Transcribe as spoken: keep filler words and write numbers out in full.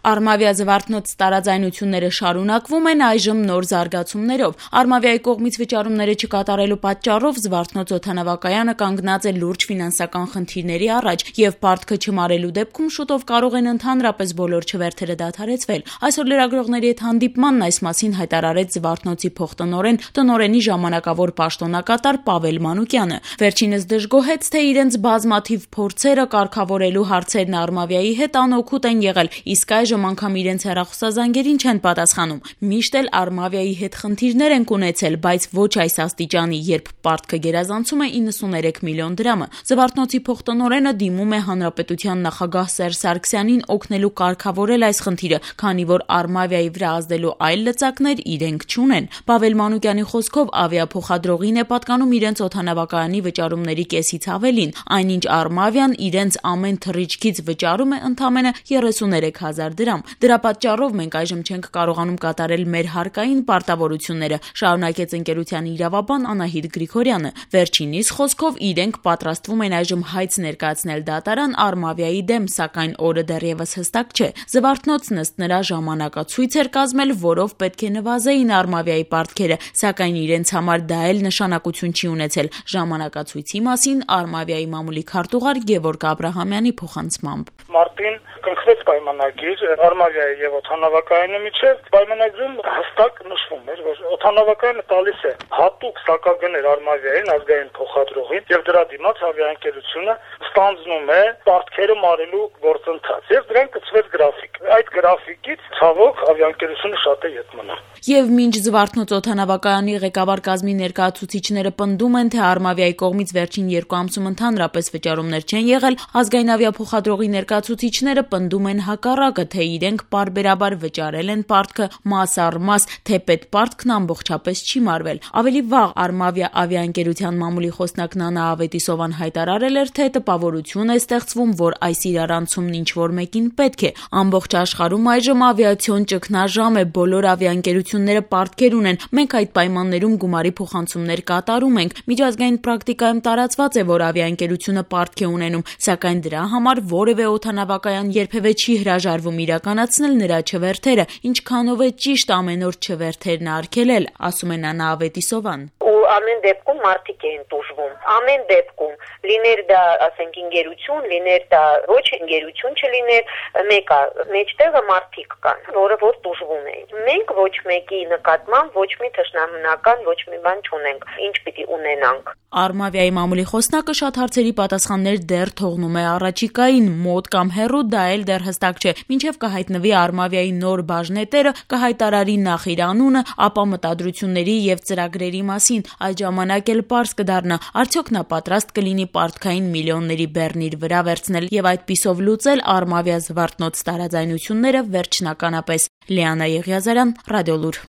Արմավիա Զվարթնոց տարաձայնությունները շարունակվում են այժմ նոր զարգացումներով։ Արմավիայի կողմից վճարումները չկատարելու պատճառով Զվարթնոց օդանավակայանը կանգնած է լուրջ ֆինանսական խնդիրների առաջ, եւ պարտքը չմարելու դեպքում շուտով կարող են ընդհանրապես բոլոր չվերթերը դադարեցվել։ Այսօր լրագրողների հետ հանդիպմանն այս մասին հայտարարեց Զվարթնոցի փոխտնօրեն, տնօրենի ժամանակավոր պաշտոնակատար Պավել Մանուկյանը։ Վերջինս դժգոհեց, թե իրենց բազմաթիվ փորձերը կարգավորելու հարցերն Արմավիայի հետ անօգուտ են եղել, իսկ այժմ անգամ իրենց հեռախոսազանգերին չեն պատասխանում։ Միշտ էլ Արմավիայի հետ խնդիրներ ենք ունեցել, բայց ոչ այս աստիճանի, երբ պարտքը գերազանցում է իննսուներեք միլիոն դրամը։ Զվարթնոցի փոխտնօրենը դիմում է հանրապետության նախագահ Սերժ Սարգսյանին օգնելու կարգավորել այս խնդիրը, քանի որ Արմավիայի վրա ազդելու այլ լծակներ իրենք չունեն։ Պավել Մանուկյանի խոսքով ավիափոխադրողին է պատկանում իրենց օդանավակայանի վճարումների կեսից ավելին, այնինչ Արմավիան իրենց ամեն թռիչքից վճարում է ընդամենը երեսուներեք հազար դրամ։ Դրա պատճառով մենք այժմ չենք կարողանում կատարել մեր հարկային պարտավորությունները, շարունակեց ընկերության իրավաբան Անահիտ Գրիգորյանը։ Վերջինիս խոսքով իրենք պատրաստվում են այժմ հայց ներկայացնել դատարան Արմավիայի դեմ, սակայն օրը դեռևս հստակ չէ։ Զվարթնոցն ըստ նրա ժամանակացույց էր կազմել, որով պետք է նվազեին Արմավիայի պարտքերը, սակայն իրենց համար դա էլ նշանակություն չի ունեցել։ Ժամանակացույցի մասին Արմավիայի մամուլի քարտուղար Գևորգ Աբրահամյանի փոխանցմամբ. Մարտին կնքվեց պայմանագիր Արմավիայի եւ օդանավակայանի միջեւ։ Պայմանագրում հստակ նշվում էր, որ օդանավակայանը տալիս է հատուկ սակագներ Արմավիային ազգային փոխադրողին եւ դրա դիմաց ավիաընկերությունը ստանձնում է պարտքերը մարելու գործընթաց եւ դրան կցվեց գրաֆիկ։ Այդ գրաֆիկից ցավոք ավիաընկերությունը շատ է ետ մնում։ Եվ մինչ Զվարթնոց օդանավակայանի ղեկավար կազմի ներկայացուցիչները պնդում են, թե Արմավիայի կողմից վերջին երկու ամսում ընդհանրապես վճարումներ չեն եղել, ազգային ավիափոխադրողի ներկայացուցիչները պնդում են հակառակը, թե իրենք պարբերաբար վճարել են պարտքը մաս առ մաս, թեպետ պարտքն ամբողջապես չի մարվել։ Ավելի վաղ Արմավիա ավիաընկերության մամուլի խոսնակ Նանա Ավետիսովան հայտարարել էր, թե տպավորություն է ստեղծվում, որ այս իրարանցումն ինչ-որ մեկին պետք է։ Ամբողջ աշխարհում այժմ ավիացիոն ճգնաժամ է, բոլոր ավիաընկերությունները պարտքեր ունեն, մենք այդ պայմաններում գումարի փոխանցումներ կատարում ենք։ Միջազգային պրակտիկայում տարածված է, որ ավիաընկերությունը պարտք է ունենում, սակայն դրա համար որևէ օդանավակայան երբևէ չի հրաժարվում իրականացնել նրա չվերթերը, ինչքանով է ճիշտ ամեն օր չվերթերն արգելել, ասում է Նանա Ավետիսովան։ Ամեն դեպքում մարդիկ են տուժվում։ Ամեն դեպքում լիներ դա, ասենք, ընկերություն, լիներ դա ոչ ընկերություն չլիներ, մեկը մեջտեղը մարդիկ կան, որը որ տուժվում են։ Մենք ոչ մեկի նկատմամբ ոչ մի թշնամանական ոչ մի բան չունենք։ Ինչ պիտի ունենանք։ Արմավիայի մամուլի խոսնակը շատ հարցերի պատասխաններ դեռ թողնում է առաջիկային, մոտ կամ հեռու դա էլ դեռ հստակ չէ։ Մինչև կհայտնվի Արմավիայի նոր բաժնետերը, կհայտարարի նախ իր անունը, ապա մտադրությունների եւ ծրագրերի մասին։ Այդ ժամանակ էլ պարզ կդառնա, արդյոք նա պատրաստ կլինի պարտքային միլիոնների բեռն իր վրա վերցնել եւ այդպիսով լուծել Արմավիա Զվարթնոց տարաձայնությունները վերջնականապես։ Լիանա Եղիազարյան, Ռադիոլուր։